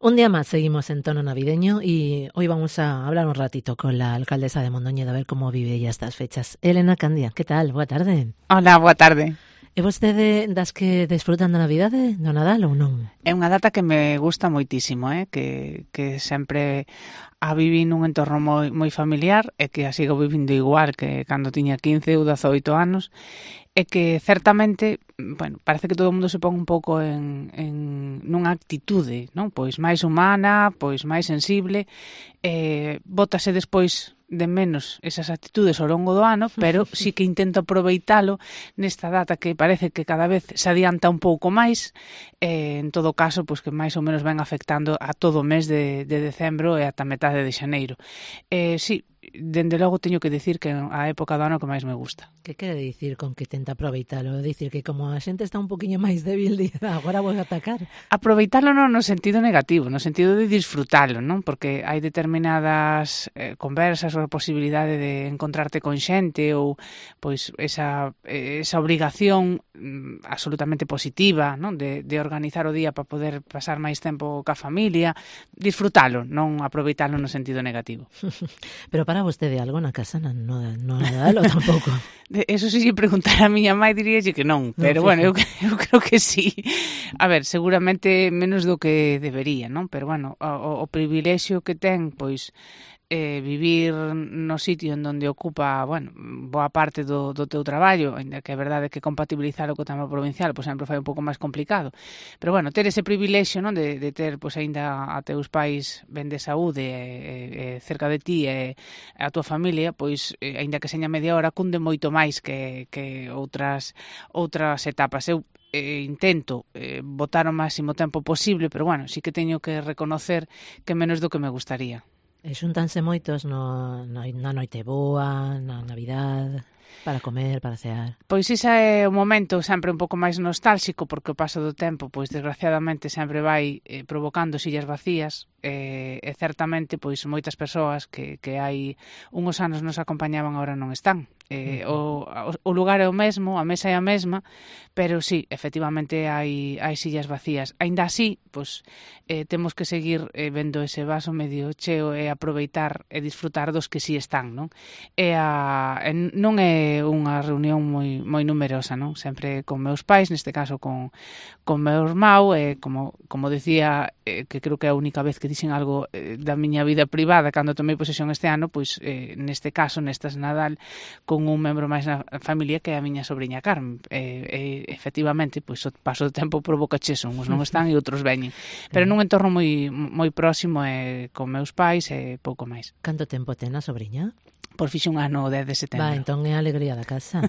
Un día más seguimos en tono navideño y hoy vamos a hablar un ratito con la alcaldesa de Mondoñedo a ver cómo vive ella estas fechas. Elena Candia, que tal? Boa tarde. Hola, boa tarde. É vostede das que desfrutan da Navidade, do Nadal ou non? É unha data que me gusta moitísimo, que sempre a viví nun entorno moi familiar e que a sigo vivindo igual que cando tiña 15 ou 18 anos e que certamente, bueno, parece que todo o mundo se pon un pouco nunha actitude, non? Pois máis humana, pois máis sensible, bótase despois de menos esas actitudes ao longo do ano, pero sí que intento aproveitalo nesta data que parece que cada vez se adianta un pouco máis, en todo caso, pois que máis ou menos ven afectando a todo o mes de decembro e ata metade de xaneiro. Sí, dende logo teño que dicir que a época do ano que máis me gusta. Que quere dicir con que tenta aproveitalo? Dicir que como a xente está un poquinho máis débil, agora vou atacar. Aproveitalo non no sentido negativo, no sentido de disfrutalo, non? Porque hai determinadas conversas ou a posibilidade de encontrarte con xente ou pois esa obrigación absolutamente positiva, non? De organizar o día para poder pasar máis tempo ca familia, disfrutalo, non aproveitalo no sentido negativo. Pero para vostede algo na casa no Nadal ou tampouco? Eso si lle preguntar a miña mãe diríalle que non, pero bueno, eu creo que sí. A ver, seguramente menos do que debería, non? Pero bueno, o privilexio que ten, pois, vivir no sitio en donde ocupa, bueno, boa parte do teu traballo, ainda que é verdade que compatibilizalo co tema provincial, pois sempre fai un pouco máis complicado. Pero bueno, ter ese privilexio, non, de ter, pois, aínda a teus pais ben de saúde cerca de ti e a tua familia, pois, aínda que seña media hora, cunde moito máis que outras etapas. Eu intento botar o máximo tempo posible, pero bueno, sí que teño que reconocer que menos do que me gustaría. E xuntanse moitos na noite boa, na Navidad, para comer, para cear. Pois ese é o momento sempre un pouco máis nostálxico, porque o paso do tempo, pois desgraciadamente sempre vai provocando sillas vacías, e certamente pois moitas persoas que hai uns anos nos acompañaban agora non están. O lugar é o mesmo, a mesa é a mesma, pero sí, efectivamente hai sillas vacías. Aínda así, pois temos que seguir vendo ese vaso medio cheo e aproveitar e disfrutar dos que sí están, non? Non é unha reunión moi numerosa, non? Sempre con meus pais, neste caso con meu irmão, como decía, que creo que é a única vez que dixen algo da miña vida privada cando tomei posesión este ano, pois neste caso, nestas Nadal, con un membro máis na familia que é a miña sobriña Carmen. Efectivamente, pois o paso do tempo provoca cheso, uns non están e outros veñen. Pero nun entorno moi próximo con meus pais e pouco máis. Canto tempo ten a sobriña? Por fixe un ano o 10 de setembro. Va, entón é a alegría da casa.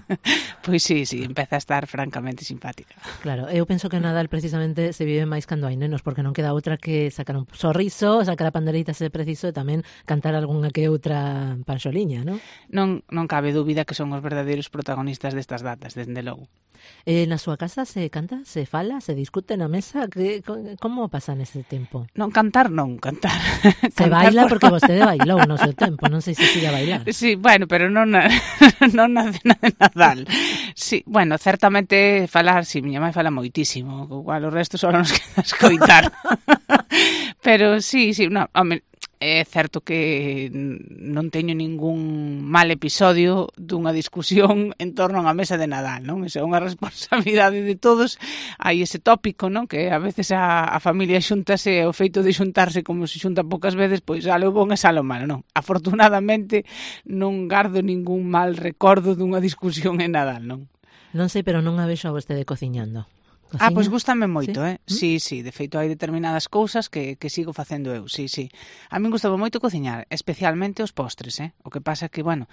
Pois sí, empeza a estar francamente simpática. Claro, eu penso que o Nadal precisamente se vive máis cando hai nenos, porque non queda outra que sacar un sorriso, sacar a panderita se preciso e tamén cantar algunha que outra panxoliña, non? Non cabe dúbida que son os verdadeiros protagonistas destas datas, desde logo. Na súa casa se canta, se fala, se discute na mesa? Como pasa nese tempo? Non, cantar non, cantar. Se baila porque vostede bailou no seu tempo, non sei se siga a bailar. Sí, bueno, pero non na cena de Nadal. Sí, bueno, certamente falar, sí, miña mãe fala moitísimo, igual o resto só nos queda escoitar. Pero sí, non, home, é certo que non teño ningún mal episodio dunha discusión en torno a unha mesa de Nadal, non? Esa é unha responsabilidade de todos. Hai ese tópico, non? Que a veces a familia xuntase, o feito de xuntarse como se xunta poucas veces, pois sale o bon e sale o malo, non? Afortunadamente non gardo ningún mal recordo dunha discusión en Nadal, non? Non sei, pero non a vexo a vostede cociñando. Cociña? Pois gústame moito, ¿Sí? Sí, de feito hai determinadas cousas que sigo facendo eu, sí. A min gustaba moito cociñar, especialmente os postres, O que pasa é que, bueno,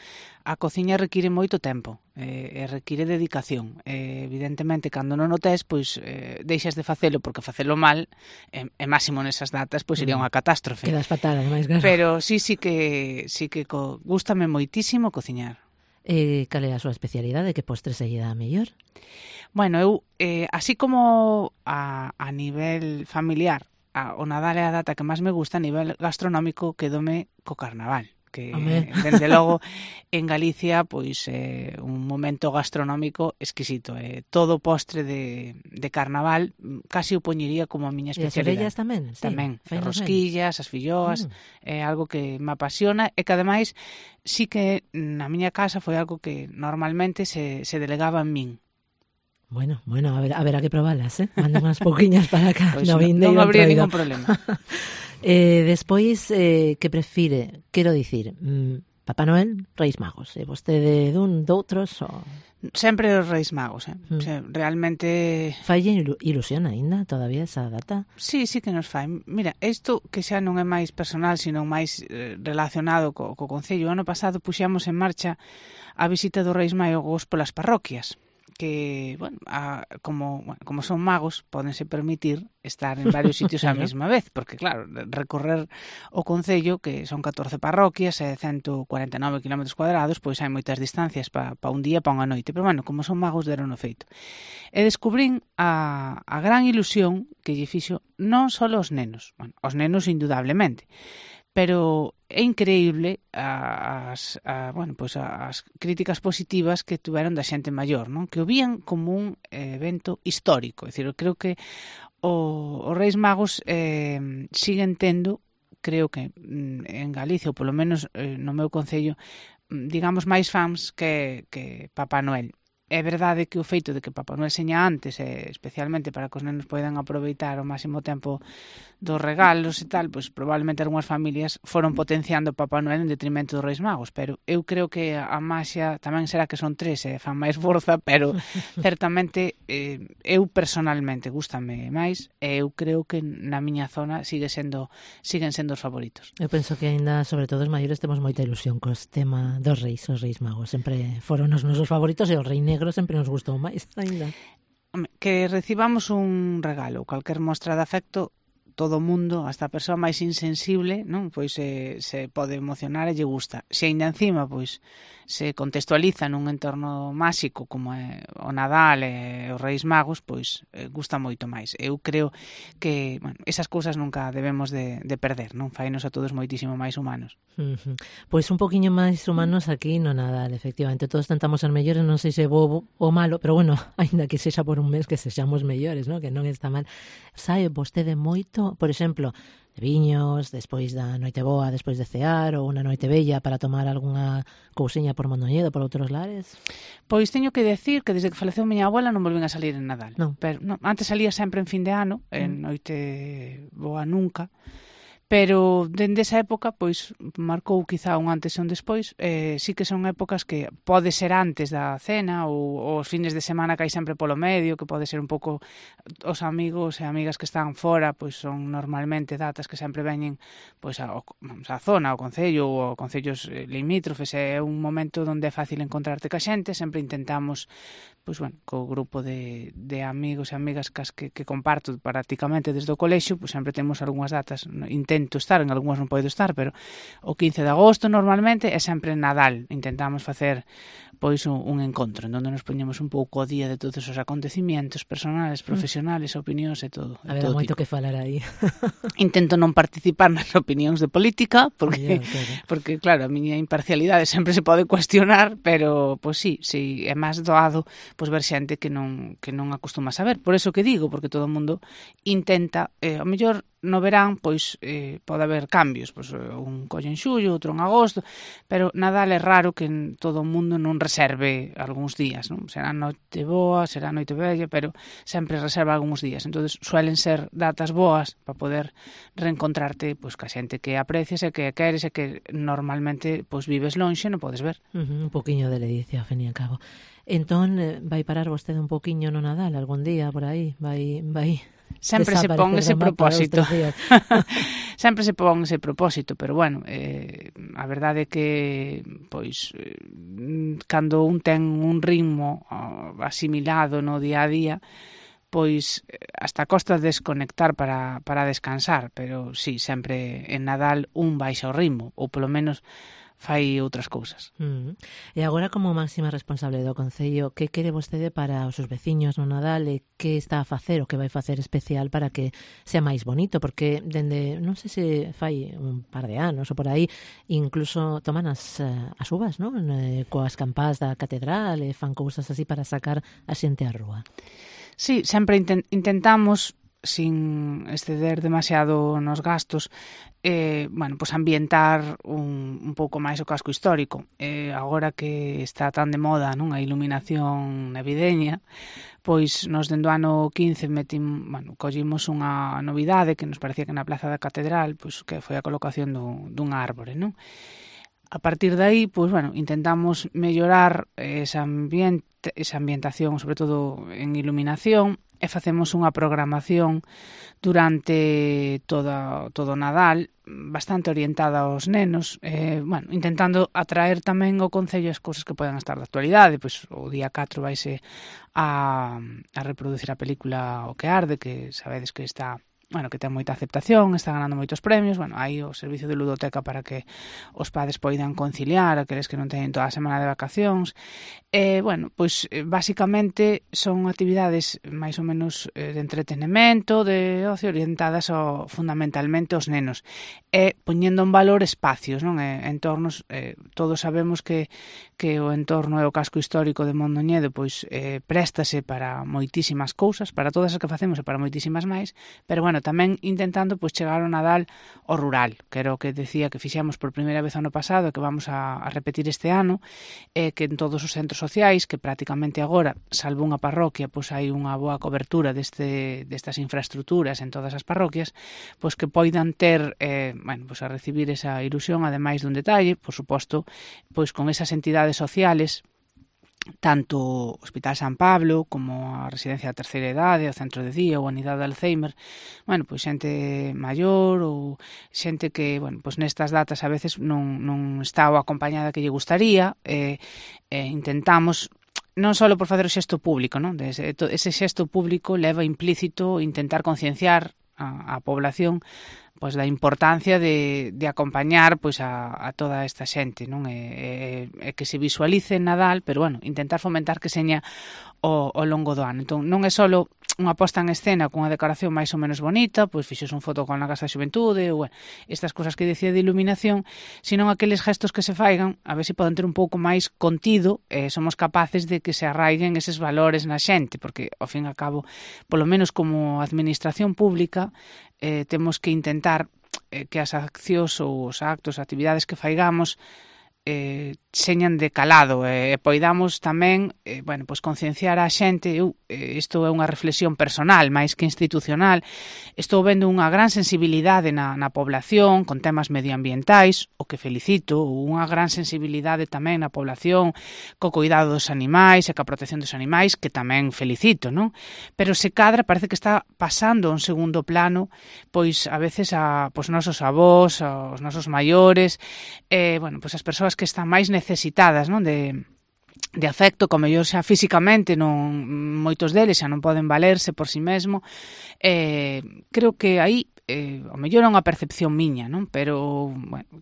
a cociña require moito tempo, e require dedicación. Evidentemente, cando non o tes, pois deixas de facelo, porque facelo mal, e máximo nesas datas, pois sería unha catástrofe. Quedas fatal, ademais, claro. Pero sí que gústame moitísimo cociñar. Cal é a súa especialidade? Que postre se lle dá mellor? Bueno, eu, así como a nivel familiar, o Nadal é a data que máis me gusta, a nivel gastronómico quedome co Carnaval. que Home. dende logo en Galicia pois un momento gastronómico exquisito. Todo postre de carnaval casi o poñería como a miña E as especialidade. orellas tamén? Sí, Tamén, as fainos ben. rosquillas, as filloas, é algo que me apasiona e que ademais sí que na miña casa foi algo que normalmente se delegaba en min. Bueno, a ver que probalas, manden unhas pouquiñas para acá. Pois no non vindeiro habría entroido. ningún problema. Despois, que prefire? Quero dicir, Papá Noel, Reis Magos. E vostede doutros? Ou... Sempre os Reis Magos, realmente... Falle ilusión aínda todavía esa data? Sí que nos fai. Mira, isto que xa non é máis personal, sino máis relacionado co Concello. O ano pasado puxemos en marcha a visita dos Reis Magos polas parroquias, que, bueno, como son magos, pódense permitir estar en varios sitios á mesma vez, porque, claro, recorrer o Concello, que son 14 parroquias e 149 km cuadrados, pois hai moitas distancias para un día, para unha noite. Pero, bueno, como son magos, deron o feito. E descubrín a gran ilusión que lle fixo non só aos nenos, bueno, aos nenos indudablemente, pero é increíble as críticas positivas que tuveron da xente maior, non? Que o vían como un evento histórico. É dicir, eu creo que os Reis Magos siguen tendo, creo que en Galicia, ou polo menos no meu concello, digamos, máis fans que Papá Noel. É verdade que o feito de que Papá Noel seña antes, especialmente para que os nenos poidan aproveitar o máximo tempo dos regalos e tal, pois probablemente algunhas familias foron potenciando Papá Noel en detrimento dos Reis Magos, pero eu creo que a maxia tamén será que son tres e fan máis forza, pero certamente eu personalmente gústame máis e eu creo que na miña zona siguen sendo os favoritos. Eu penso que aínda, sobre todo os maiores, temos moita ilusión cos tema dos Reis, os Reis Magos. Sempre foron os nosos favoritos e o Rei Negro sempre nos gustou máis aínda. Que recibamos un regalo, calquer mostra de afecto, todo o mundo, hasta a persoa máis insensible, non? Pois se pode emocionar e lle gusta. Se aínda encima, pois, se contextualiza nun entorno máxico como é o Nadal e os Reis Magos, pois gusta moito máis. Eu creo que, bueno, esas cousas nunca debemos de perder, non? Fainos a todos moitísimo máis humanos. Pois un poquinho máis humanos aquí no Nadal, efectivamente. Todos tentamos ser mellores, non sei se bo ou malo, pero bueno, aínda que sexa por un mes que sexamos mellores, non? Que non está mal. Sabe vostede moito, por exemplo, de viños, despois da noite boa, despois de cear, ou unha noite bella para tomar algunha cousiña por Mondoñedo, por outros lares? Pois teño que decir que desde que faleceu miña abuela non volvín a salir en Nadal. Non. Pero, non, antes salía sempre en fin de ano, en noite boa nunca. Pero dende esa época, pois, marcou quizá un antes e un despois. Sí que son épocas que pode ser antes da cena ou os fines de semana que hai sempre polo medio, que pode ser un pouco os amigos e amigas que están fora, pois son normalmente datas que sempre veñen pois a zona, ao concello ou a concellos limítrofes. É un momento onde é fácil encontrarte ca xente, sempre intentamos, pois, bueno, co grupo de amigos e amigas que comparto prácticamente desde o colexio, pois sempre temos algunhas datas, intento estar, en algunhas non podo estar, pero o 15 de agosto normalmente é sempre Nadal. Intentamos facer pois un encontro en onde nos poñemos un pouco ao día de todos os acontecimientos personales, profesionales, opinións e todo. Habera moito que falar aí. Intento non participar nas opinións de política, porque claro, a miña imparcialidade sempre se pode cuestionar, pero pois sí, é máis doado pois ver xente que non acostuma a saber. Por eso que digo, porque todo o mundo intenta, ao mellor no verán, pois, pode haber cambios, pois, un collo en xullo, outro en agosto, pero Nadal é raro que todo o mundo non reserve algúns días, non? Será noite boa, será noite bella, pero sempre reserva algúns días. Entonces suelen ser datas boas para poder reencontrarte pois ca xente que aprecias e que queres e que normalmente pois vives lonxe e non podes ver. Un poquinho de ledicia, ao fin e ao cabo. Entón, vai parar vostede un poquinho no Nadal algún día por aí? Vai sempre se pon ese propósito. Sempre se pon ese propósito, pero bueno, a verdade é que pois cando un ten un ritmo asimilado no día a día, pois hasta costa desconectar para descansar, pero sí, sempre en Nadal un baixa o ritmo, ou polo menos fai outras cousas. E agora, como máxima responsable do Concello, que quere vostede para os seus veciños no Nadal e que está a facer o que vai facer especial para que sea máis bonito? Porque dende, non sei se fai un par de anos ou por aí, incluso toman as uvas, non? Coas campás da catedral e fan cousas así para sacar a xente á rúa. Sí, sempre intentamos, sin exceder demasiado nos gastos, pues ambientar un pouco máis o casco histórico. Agora que está tan de moda, non, a iluminación navideña, pois nos dende o ano 15 collimos unha novidade que nos parecía que na Plaza da Catedral, pois que foi a colocación dunha árbore, non? A partir de aí, pois, intentamos mellorar esa ambientación, sobre todo en iluminación, e facemos unha programación durante todo o Nadal bastante orientada aos nenos, intentando atraer tamén ao Concello as cousas que podan estar de actualidade. Pois o día 4 vaise a reproducir a película O que arde, que sabedes que está... que ten moita aceptación, está ganando moitos premios. Hai o servicio de ludoteca para que os padres poidan conciliar aqueles que non teñen toda a semana de vacacións. Basicamente son actividades máis ou menos de entretenimento, de ocio, orientadas fundamentalmente aos nenos, e poñendo en valor espacios, non? Entornos, todos sabemos que o entorno e o casco histórico de Mondoñedo préstase para moitísimas cousas, para todas as que facemos e para moitísimas máis, pero tamén intentando chegar ao Nadal ao rural, que era o que decía que fixemos por primeira vez ano pasado e que vamos a repetir este ano, que en todos os centros sociais, que prácticamente agora, salvo unha parroquia, hai unha boa cobertura destas infraestructuras en todas as parroquias, que poidan ter, a recibir esa ilusión, ademais dun detalle, por suposto, con esas entidades sociales, tanto o Hospital San Pablo como a Residencia da Terceira Idade, o Centro de Día ou a Unidade de Alzheimer, xente maior ou xente que, nestas datas a veces non está o acompañada que lle gustaría, intentamos non só por facer o xesto público, non? Ese xesto público leva implícito intentar concienciar a población da importancia de acompañar a toda esta xente, non? E que se visualice en Nadal, pero intentar fomentar que seña ao longo do ano. Entón, non é só unha posta en escena con unha decoración máis ou menos bonita, fixos un fotocol na Casa da Xuventude, ou estas cousas que dicía de iluminación, sino aqueles gestos que se faigan, a ver se poden ter un pouco máis contido, e somos capaces de que se arraiguen eses valores na xente, porque, ao fin e ao cabo, polo menos como administración pública, temos que intentar que as accións ou os actos, actividades que faigamos señan de calado e poidamos tamén concienciar a xente. Isto é unha reflexión personal máis que institucional. Estou vendo unha gran sensibilidade na población con temas medioambientais, o que felicito, unha gran sensibilidade tamén na población co cuidado dos animais e ca protección dos animais, que tamén felicito, non? Pero se cadra parece que está pasando a un segundo plano, a veces os nosos avós, os nosos maiores, as persoas que están máis necesitadas, non, de afecto, como mellor xa físicamente, moitos deles xa non poden valerse por si mesmo. Creo que aí ao mellor é unha percepción miña, non? Pero,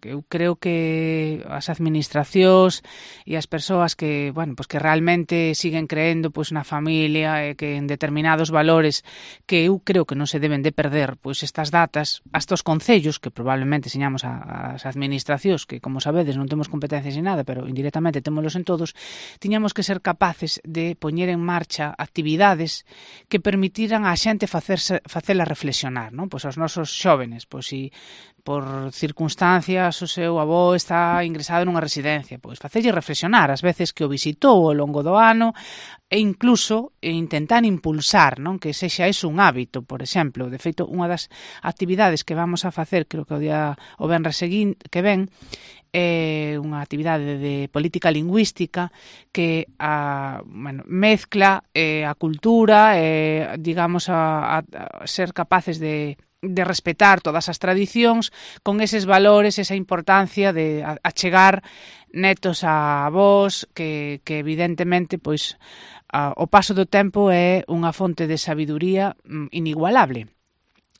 eu creo que as administracións e as persoas que, que realmente siguen creendo na familia e que en determinados valores que eu creo que non se deben de perder, estas datas, hasta os concellos, que probablemente señamos as administracións, que, como sabedes, non temos competencias ni nada, pero indirectamente témolos en todos, tiñamos que ser capaces de poñer en marcha actividades que permitiran á xente facela reflexionar, non? Aos nosos xóvenes, si por circunstancias o seu avó está ingresado nunha residencia, facelle reflexionar as veces que o visitou ao longo do ano e incluso intentar impulsar, non, que sexa eso un hábito, por exemplo. De feito, unha das actividades que vamos a facer, creo que o venres que ven, é unha actividade de política lingüística que mezcla a cultura, digamos, a ser capaces de respetar todas as tradicións con eses valores, esa importancia de achegar netos a avós, que evidentemente o paso do tempo é unha fonte de sabiduría inigualable.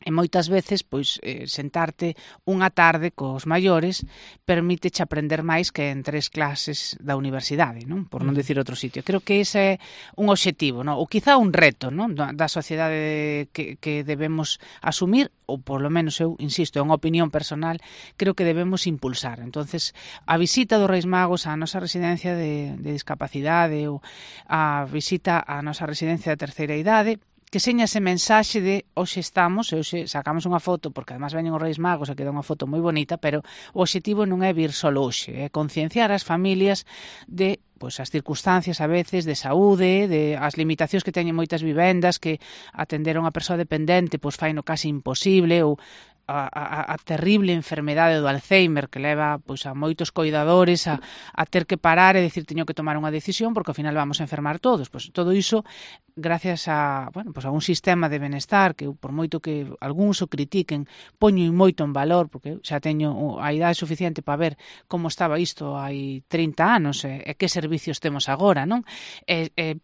E moitas veces, pois, sentarte unha tarde cos maiores permíteche aprender máis que en 3 clases da universidade, non? Por non dicir outro sitio. Creo que ese é un obxectivo, non? Ou quizá un reto, non? Da sociedade que debemos asumir, ou polo menos eu, insisto, é unha opinión personal, creo que debemos impulsar. Entonces, a visita dos Reis Magos á nosa residencia de discapacidade ou a visita á nosa residencia de terceira idade, que seña ese mensaxe de hoxe estamos, e hoxe sacamos unha foto, porque además veñen os Reis Magos e queda unha foto moi bonita, pero o obxectivo non é vir só hoxe, é concienciar as familias de pois as circunstancias a veces de saúde, de as limitacións que teñen moitas vivendas, que atender a unha persoa dependente pois faino casi imposible, ou a terrible enfermedade do Alzheimer que leva pois a moitos coidadores a ter que parar e decir teño que tomar unha decisión porque ao final vamos a enfermar todos. Pois todo iso gracias a, bueno, pois a un sistema de benestar que por moito que algúns o critiquen, poño moito en valor porque xa teño a idade suficiente para ver como estaba isto hai 30 anos e que servicios temos agora, non?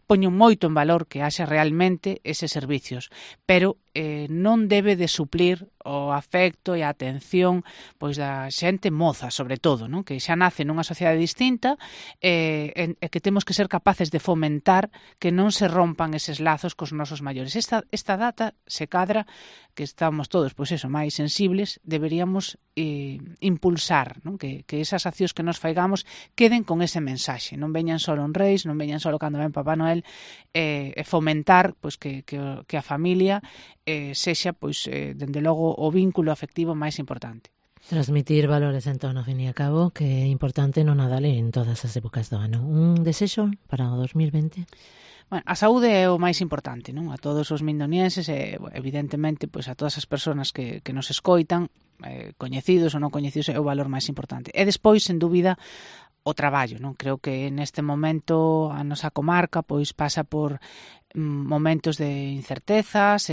Poño moito en valor que haxa realmente eses servicios, pero non debe de suplir o afecto e a atención pois da xente moza, sobre todo, non? Que xa nace nunha sociedade distinta e que temos que ser capaces de fomentar que non se rompan eses lazos cos nosos maiores. Esta data se cadra que estamos todos, pois eso, máis sensibles, deberíamos impulsar, non? Que esas accións que nos faigamos queden con ese mensaxe, non veñan só en Reis, non veñan só cando ven Papá Noel, e fomentar pois que a familia sexa, pois, dende logo, o vínculo afectivo máis importante. Transmitir valores en torno, ao fin e a cabo, que é importante no Nadal e en todas as épocas do ano. Un desexo para o 2020? Bueno, a saúde é o máis importante, non? A todos os mindonienses e, evidentemente, pois a todas as persoas que nos escoitan, coñecidos ou non coñecidos, é o valor máis importante. E despois, sen dúbida, o traballo, non? Creo que neste momento a nosa comarca pois pasa por momentos de incertezas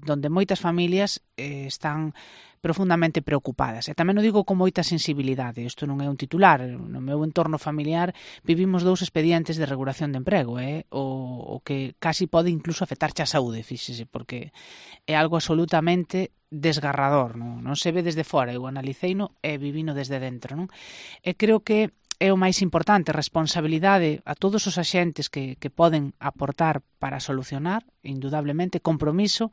donde moitas familias están profundamente preocupadas. E tamén o digo con moita sensibilidade. Isto non é un titular. No meu entorno familiar vivimos 2 expedientes de regulación de emprego, o que casi pode incluso afectarche a saúde, fíxese, porque é algo absolutamente desgarrador, non se ve desde fora, eu analiceino e vivino desde dentro, non? E creo que é o máis importante, responsabilidade a todos os axentes que poden aportar para solucionar, indudablemente, compromiso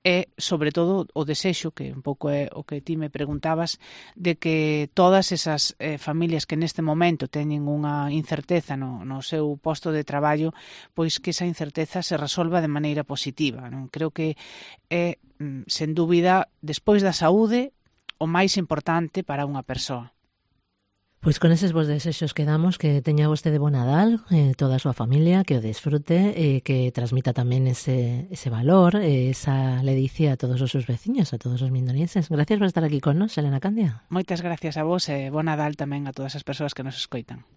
e, sobre todo, o desexo, que un pouco é o que ti me preguntabas, de que todas esas familias que neste momento teñen unha incerteza no seu posto de traballo, pois que esa incerteza se resolva de maneira positiva, non? Creo que é, sen dúbida, despois da saúde, o máis importante para unha persoa. Pois con eses vos desexos que damos, que teña vostede bo Nadal, toda a súa familia, que o desfrute e que transmita tamén ese valor, esa ledicia a todos os seus veciños, a todos os mindonienses. Gracias por estar aquí con nos, Elena Candia. Moitas gracias a vos e bo Nadal tamén a todas as persoas que nos escoitan.